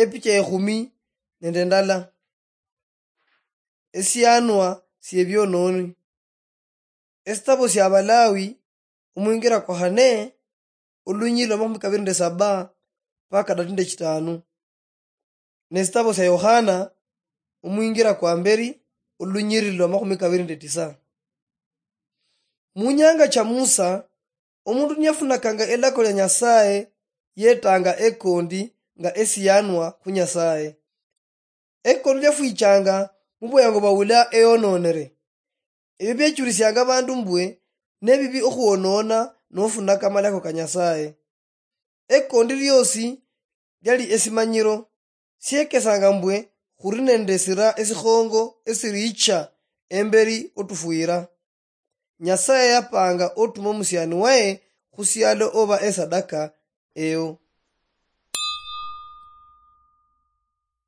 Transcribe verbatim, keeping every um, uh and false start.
Epicha ekhumi nende ndala. Esianwa siebiononi. Esitabo sia Abalawi, omwingira kwa khane, olunyiri lwa makhumi kabiri nende saba mpaka kadatu nende chitanu. Nesitabo sia Yohana, omwingira kwa mberi, olunyiri lwa makhumi kabiri nende tisa. Munyanga cha Musa, omundu niyafunakanga elako lia Nyasaye, yetanga ekondi nga esianwa khu Nyasaye. Ekondi liafwichanga mubweyango bwa ulia eyononere. Ebio biechulisianga abandu mbwe nebibi okhwonona nofunaka amalako ka Nyasaye. Ekondi liosi liali esimanyiro, siekesanga mbwe khuli nende esira esikhongo esiricha emberi otufwira. Nyasaye yapanga otuma omusiani waye khusialo oba esadaka eyo.